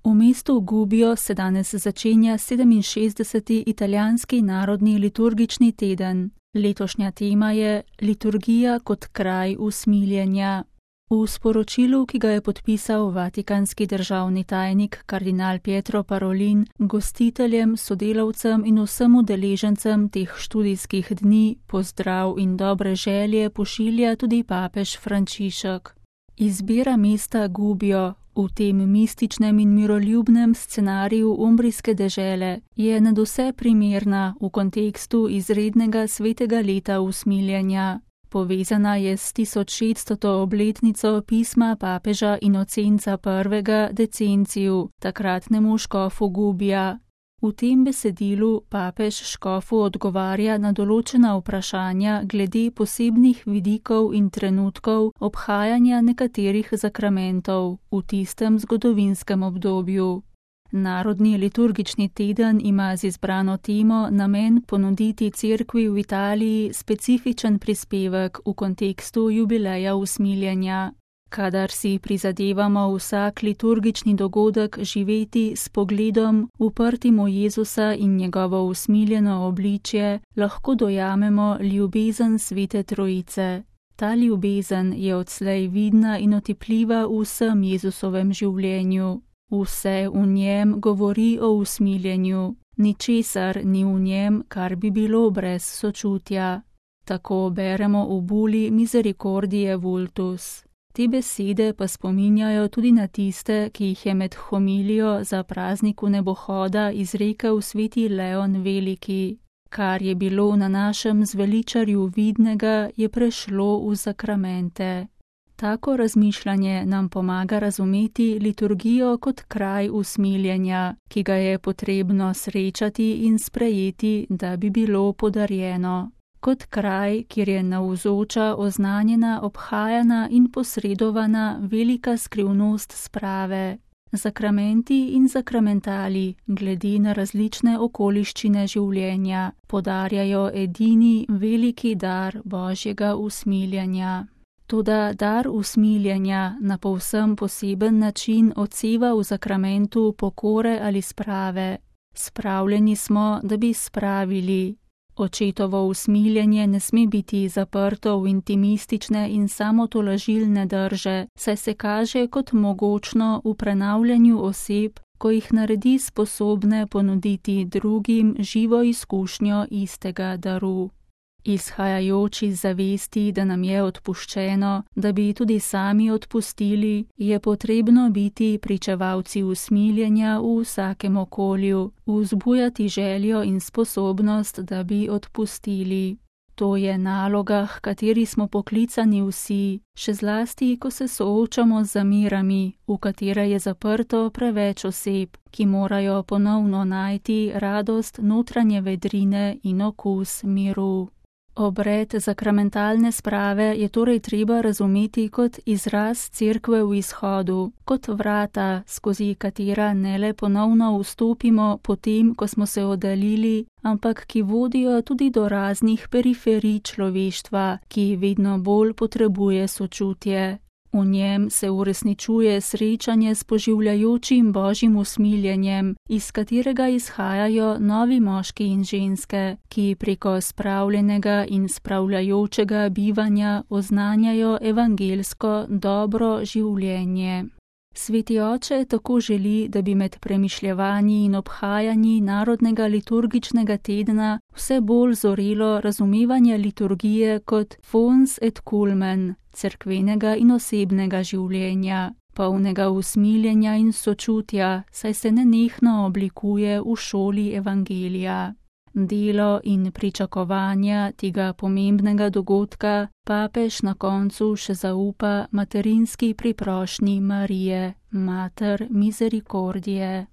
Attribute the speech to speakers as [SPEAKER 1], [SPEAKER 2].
[SPEAKER 1] V mestu Gubbio se danes začenja 67. italijanski narodni liturgični teden. Letošnja tema je Liturgija kot kraj usmiljenja. V sporočilu, ki ga je podpisal vatikanski državni tajnik kardinal Pietro Parolin, gostiteljem, sodelavcem in vsem udeležencem teh študijskih dni pozdrav in dobre želje pošilja tudi papež Frančišek. Izbira mesta Gubbio v tem mističnem in miroljubnem scenariju umbrijske dežele je nadvse primerna v kontekstu izrednega svetega leta usmiljenja. Povezana je s 1600. obletnico pisma papeža Inocenca I. Decencija, takratnemu škofu Gubbia. V tem besedilu papež škofu odgovarja na določena vprašanja glede posebnih vidikov in trenutkov obhajanja nekaterih zakramentov v tistem zgodovinskem obdobju. Narodni liturgični teden ima z izbrano temo namen ponuditi cerkvi v Italiji specifičen prispevek v kontekstu jubileja usmiljenja. Kadar si prizadevamo vsak liturgični dogodek živeti s pogledom uprtim v Jezusa in njegovo usmiljeno obličje, lahko dojamemo ljubezen Svete Trojice. Ta ljubezen je odslej vidna in otipljiva v vsem Jezusovem življenju. Vse v njem govori o usmiljenju, ničesar ni v njem, kar bi bilo brez sočutja. Tako beremo v buli Misericordiae Vultus. Te besede pa spominjajo tudi na tiste, ki jih je med homilijo za praznik vnebohoda izrekel sveti Leon Veliki. Kar je bilo na našem zveličarju vidnega, je prešlo v zakramente. Tako razmišljanje nam pomaga razumeti liturgijo kot kraj usmiljenja, ki ga je potrebno srečati in sprejeti, da bi bilo podarjeno. Kot kraj, kjer je navzoča, oznanjena, obhajana in posredovana velika skrivnost sprave. Zakramenti in zakramentali, glede na različne okoliščine življenja, podarjajo edini veliki dar Božjega usmiljenja. Toda dar usmiljenja na povsem poseben način odseva v zakramentu pokore ali sprave. Spravljeni smo, da bi spravili. Očetovo usmiljenje ne sme biti zaprto v intimistične in samotolažilne drže, saj se kaže kot mogočno v prenavljanju oseb, ko jih naredi sposobne ponuditi drugim živo izkušnjo istega daru. Izhajajoč iz zavesti, da nam je odpuščeno, da bi tudi sami odpustili, je potrebno biti pričevalci usmiljenja v vsakem okolju, vzbujati željo in sposobnost, da bi odpustili. To je naloga, h kateri smo poklicani vsi, še zlasti, ko se soočamo z zamirami, v katere je zaprto preveč oseb, ki morajo ponovno najti radost notranje vedrine in okus miru. Obred zakramentalne sprave je torej treba razumeti kot izraz cerkve v izhodu, kot vrata, skozi katera ne le ponovno vstopimo potem, ko smo se oddaljili, ampak ki vodijo tudi do raznih periferij človeštva, ki vedno bolj potrebuje sočutje. V njem se uresničuje srečanje s poživljajočim Božjim usmiljenjem, iz katerega izhajajo novi moški in ženske, ki preko spravljenega in spravljajočega bivanja oznanjajo evangelsko dobro življenje. Sveti oče tako želi, da bi med premišljevanji in obhajanji narodnega liturgičnega tedna vse bolj zorelo razumevanje liturgije kot fons et culmen, cerkvenega in osebnega življenja, polnega usmiljenja in sočutja, saj se nenehno oblikuje v šoli evangelija. Delo in pričakovanja tega pomembnega dogodka papež na koncu še zaupa materinski priprošnji Marije, Mater Misericordiae.